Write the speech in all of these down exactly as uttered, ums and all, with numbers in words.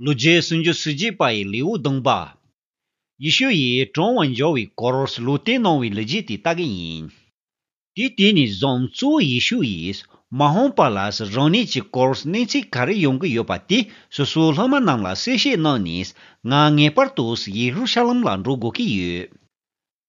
ལོ་རྒྱུས་སུམ་ཅུ་སོ་གཅིག་པ་ཡི་ལེའུ་བདུན་པ། ཡེ་ཤུ་ཡིས་གྲོངས་པར་འགྱུར་བའི་སྐོར་ལུང་བསྟན་གནང་བའི་ལོ་རྒྱུས་དེ་ལྟ་གི་ཡིན། དེ་དུས་ནས་བཟུང་གཙོ་བོ་ཡེ་ཤུ་ཡིས་མ་འོངས་པ་ལ་རང་ཉིད་ཀྱི་སྐོར་གནས་ཚུལ་ག་རེ་ཡོང་གི་ཡོད་པ་དེ་སོ་སོའི་སློབ་མ་རྣམས་ལ་གསལ་བཤད་གནང་ནས། ང་ངེས་པར་དུ་ཡེ་རུ་ཤ་ལམ་ལ་འགྲོ་དགོས་ཀྱི་ཡོད།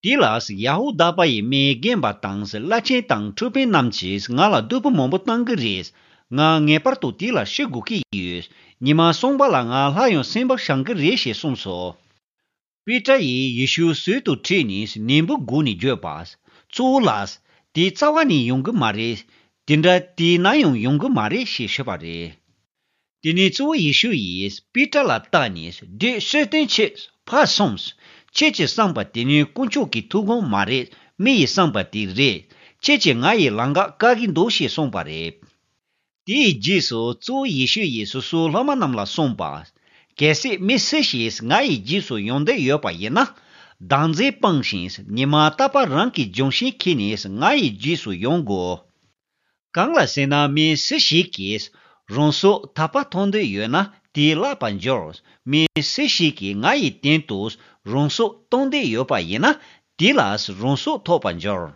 དེ་ལ་ཡ་ཧུ་དཱ་པ་ཡི་མི་རྒན་པ་དང་བླ་ཆེན་དང་ཁྲིམས་དཔོན་རྣམས་ཀྱིས་ང་ལ་སྡུག་པོ་མང་པོ་བཏང་གི་རེད། ང་ངེས་པར་དུ་དེ་ལ་ཤི་དགོས་ཀྱི་ཡོད། ཉི་མ་གསུམ་པ་ལ་ང་སླར་ཡང་སེམས་པ་བྱང་གི་རེད་ཞེས་གསུངས་སོ། པེ་ཏྲ་ཡིས་ཡེ་ཤུའི་ཟུར་དུ་ཁྲིད་ནས་ནན་པོ་སྒུག་ནས་བརྗོད་པ། གཙོ་བོ་ལགས། དེ་རྩ་བ་ནས་ཡོང་གི་མ་རེད། དེ་འདྲ་དེ་ནམ་ཡང་ཡོང་གི་མ་རེད་ཞེས་ཞུས་པ་རེད། དེ་ནས་གཙོ་བོ་ཡེ་ཤུ་ཡིས་པེ་ཏྲ་ལ་བལྟས་ནས། བདུད་སྲོལ་གཏོད་ཁྱོད། ཕར་སོང་། ཁྱོད་ཀྱིས་བསམ་པ་དེ་ནི་དཀོན་མཆོག་གི་ཐུགས་དགོངས་མ་རེད། མི་ཡིས་བསམ་པ་དེ་རེད། ཁྱོད་ཀྱིས་ང་ཡི་ལམ་ཁ་བཀག་གི་འདུག་ཞེས་གསུངས་པ་རེད། དེའི་རྗེས་སུ་གཙོ་བོ་ཡེ་ཤུ་ཡིས་སོ་སོའི་སློབ་མ་རྣམས་ལ་གསུངས་པ། གལ་སྲིད་མི་སུ་ཞིག་ང་ཡི་རྗེས་སུ་ཡོང་འདོད་ཡོད་པ་ཡིན་ན། བདག་འཛིན་སྤངས་ཤིང་ཉི་མ་རྟག་པར་རང་གི་རྒྱང་ཤེལ་འཁྱེར་ནས་ང་ཡི་རྗེས་སུ་ཡོང་དགོས། གང་ལ་ཟེར་ན། མི་སུ་ཞིག་གིས་རང་སྲོག་ཐར་པ་ཐོབ་འདོད་ཡོད་ན་དེ་བརླག་པར་འགྱུར། མི་སུ་ཞིག་གིས་ང་ཡི་དོན་དུ་རང་སྲོག་གཏོང་འདོད་ཡོད་པ་ཡིན་ན་དེ་ལ་རང་སྲོག་ཐོབ་པར་འགྱུར།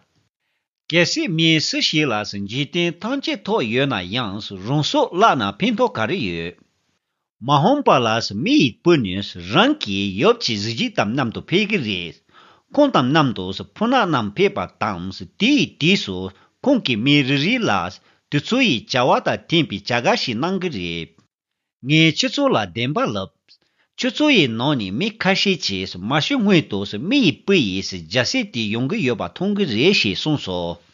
གལ་སྲིད་མི་སུ་ཞིག་ལ་འཇིག་རྟེན་ཐམས་ཅད་ཐོབ་ཡོད་ན་ཡང་རང་སྲོག་བརླག་ན་ཕན་ཐོགས་ག་རེ་ཡོད། མ་འོངས་པ་ལ་མི་ཡི་བུ་ནི་རང་གི་ཡབ་ཀྱི་གཟི་བརྗིད་དང་མཉམ་དུ་ཕེབས་ཀྱི་རེད། ཁོང་དང་མཉམ་དུ་ཕོ་ཉ་རྣམས་ཕེབས་པ་དང་། དེའི་དུས་སུ་ཁོང་གིས་མི་རེ་རེ་ལ་དེ་ཚོ་ཡི་བྱ་བ་དང་མཐུན་པའི་བྱ་དགའ་ཞིག་གནང་གི་རེད། ངས་ཁྱེད་ཚོ་ལ་བདེན་པ་ལབ། ཁྱེད་ཚོ་ཡི་ནང་ནས་མི་ཁ་ཤས་ཀྱིས་མ་ཤི་སྔོན་དུ་མི་ཡི་བུ་ཡི་རྒྱལ་སྲིད་དེ་ཡོང་གི་ཡོད་པ་མཐོང་གི་རེད་ཞེས་གསུངས་སོ།